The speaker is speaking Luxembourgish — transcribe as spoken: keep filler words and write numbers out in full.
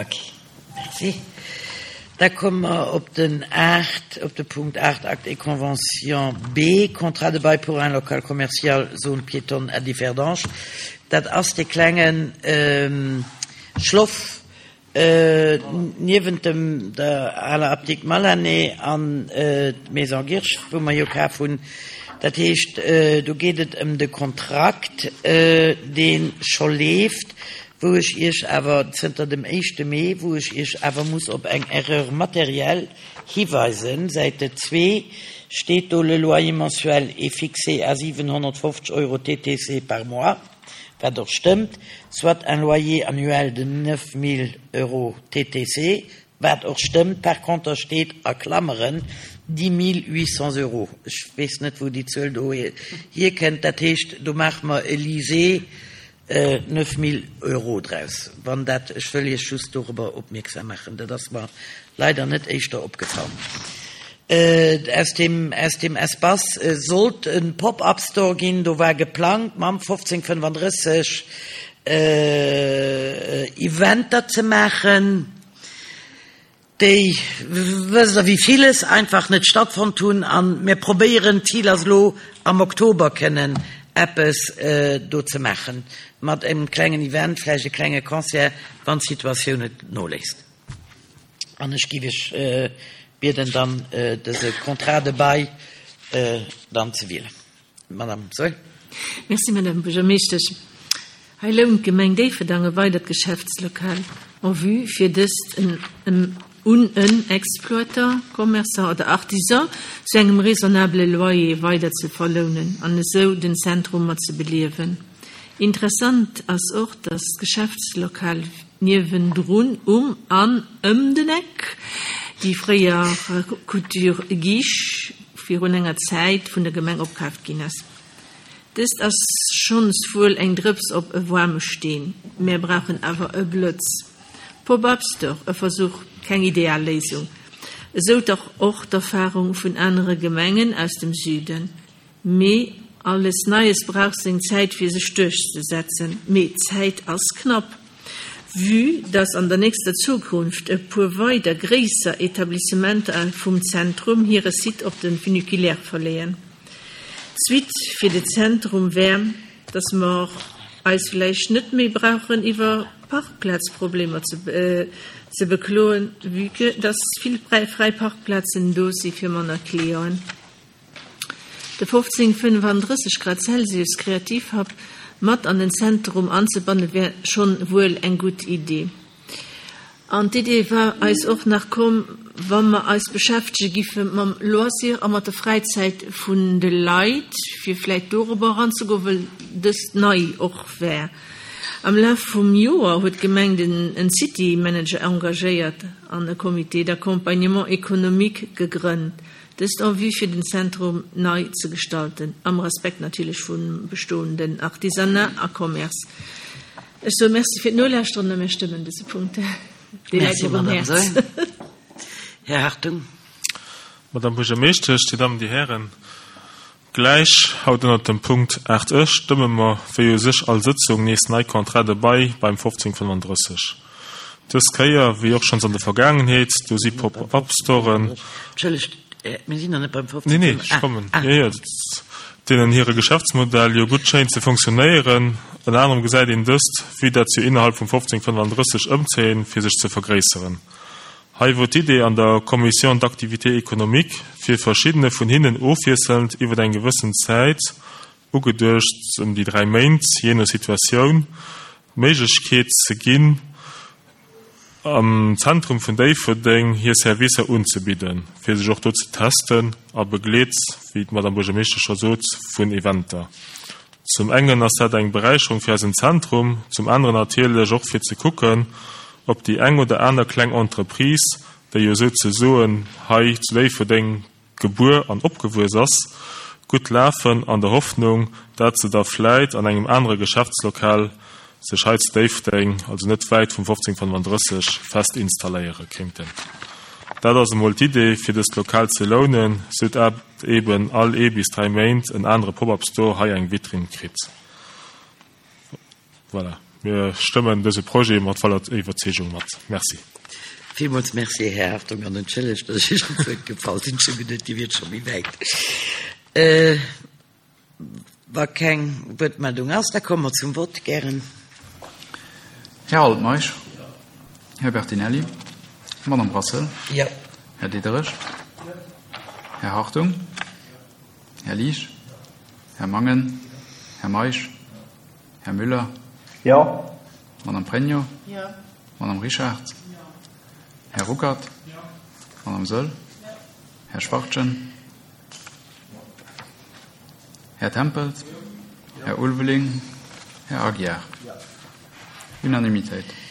Ok, merci. Da komme mer op den aacht, op de Punkt aacht, Acte et convention B, Contrat de bail pour un local commercial, zone piétonne à Differdange. Dat ass dee klengen Schloff niewent dem der aler Apdikt Malané an d'Maison Girsch, wou mer jo kaf hunn. Dat heescht, do geet et ëm de Kontrakt, dee scho leeft, wou ech Iech awer zënter dem éischte Mee, wou ech Iech awer muss op eng Erreur matérielle hiweisen. Säite zwee steet do, Le loyer mensuel est fixé à siwenhonnertfofzeg Euro T T C par mois, wat och stëmmt, soit un loyer annuel de neuf mille euros T T C, wat och stëmmt. Par contre steet a Klammeren dix mille huit cents euros. Ech weess net, wou déi Zuel do hierkënnt. Dat heescht, do maache mer e Lisez neuf mille euros draus. Wann dat, ech wëll Iech just dorobber opmierksam maachen, dat ass mer leider net éischter opgefall. Aus dem, aus dem Espace sollt e Pop-up-Store ginn, do war geplangt mam fofzéng fënnefandrësseg Eventer ze maachen, déi, wësst Der, wéi villes einfach net stattfonnt hunn, a mir probéieren, d'Zil ass elo am Oktober kënnen eppes do ze maachen mat engem klengen Event, vläicht e klenge Concert, wann d'Situatioun et noléisst. An ech géif Iech bieden, dann dëse Contrat de bail dann ze wielen. Madame Saeul. Merci, Madame Buergermeeschtesch. Hei lount d'Gemeng Déifferdang e weidert Geschäftslokal en vue fir dëst en un en Exploitant, Commerçant oder Artisan zu engem raisonnabele Loyer weider ze verlounen an esou den Zentrum mat ze beliewen. Interessant ass och, dass d'Geschäftslokal niewendrun um an ëm den Eck, déi fréier Couture Guiche, virun enger Zäit vun der Gemeng opkaaft ginn ass. Dëst ass schonns wuel eng Drëps op e waarme Steen. Mir brauchen awer e Blëtz. Pop-up Store, e Versuch, keng ideal Léisung. Esou dach och d'Erfarung vun anere Gemengen aus dem Süden. Mee alles Neies brauch seng Zäit, fir sech duerchzesetzen. Mee d'Zäit ass knapp. Vue dass an der nächster Zukunft e puer weider gréisser Etablissementer vum Zentrum hire Site op de Funiculaire verleeën. D'Suite fir de Zentrum wär, dass mer eis vläicht net méi brauchen iwwer Parkplazproblemer ze, ze bekloen, vue que dass vill fräi Parkplazen do si fir manner Clienten. De fofzéng fënnefandrësseg Grad Celsius Kreativhub mat an den Zentrum anzebanne wär schonn wuel eng gutt Idee. An d'Idee war eis och nach komm, wa mer eis beschäftege giffe mam Loisir a mat der Fräizäit vun de Leit, fir vläicht dorobber eranzegoen, well dëst nei och wär. Am Laf vum Joer huet d'Gemeng den en City Manager engagéiert an e Comité d'accompagnement économique gegrënnt. Dëst en vue fir den Zentrum nei ze gestalten, am Respekt natierlech vum bestoenden Artisanat a Commerce. Ech soe Merci fir d'Nolauschteren a mir stëmmen dëse Punkt. Dee läit Merci, mir um Madame Häerz. Saeul. Här Hartung. Madame Buergermeeschtesch, Dir Dammen, Dir Hären, gläich haut ënnert dem Punkt aacht e stëmme mer, wéi u sech all Sëtzung, nees nei Contrat de bail beim fofzéng fënnefandrësseg. Dës Kéier, wéi och schonns an der Vergaangenheet, do si Pop-up-Storen, Entschëllegt, mir sinn nach net beim fofzéng Nee, nee, ech kommen. Ah. Jo, jo, dat- deenen hire Geschäftsmodell jo gutt schéint ze funktionéieren. Ënner anerem gesäit een dëst, vue dat se innerhalb vum fofzéng fënnefandrësseg ëmzéien, fir sech ze vergréisseren. Hei wor d'Idee an der Commission d'activité économique, fir verschiddene vun hinnen ofwiesselnd iwwer eng gewëssen Zäit, ugeduecht ëm déi dräi Méint, jee no Situatioun, d'Méiglechkeet ze ginn, am Zentrum vun Déifferdeng hir Servicer unzebidden, fir sech och do ze testen a begleet, wéi d'Madame Buergermeeschtesch scho sot, vun Eventer. Zum engen ass dat eng Beräicherung fir eisen Zentrum, zum aneren natierlech och fir ze kucken, ob déi eng oder aner kleng Entreprise, déi jo souzesoen hei zu Déifferdeng gebuer an opgewuess ass, gutt lafen, an der Hoffnung, dat se da vläit an engem anere Geschäftslokal sech hei zu Déifferdeng, also net wäit vum fofzéng fënnefandrësseg, fest installéiere kéinten. Dat ass emol d'Idee, fir dëst Lokal ze lounen, sou dat eben all ee bis dräi Méint en anere Pop-up-Store hei eng Vitrinn kritt. Voilà. Mir stëmmen dëse Projet mat voller Iwwerzeegung mat. Merci. Villmools Merci, Här Hartung, an entschëllegt, datt ech Iech an d'Wuert gefall sinn. Ech hu geduet, Dir wiert scho méi wäit. Wa keng Wuertmeldung ass, da komme mer zum Vott. Gären. Här Altmeisch. Här Bertinelli. Madame Brassel. Jo. Här Diderich. Här Hartung. Här Liesch. Här Mangen. Här Meisch. Här Müller. Jo. Madame Pregno. Jo. Madame Richard. Jo. Här Ruckert. Jo. Madame Söll. Jo. Här Schwachtgen. Här Tempels. Jo. Här Ulveling. Här Aguiar. Jo. Unanimitéit.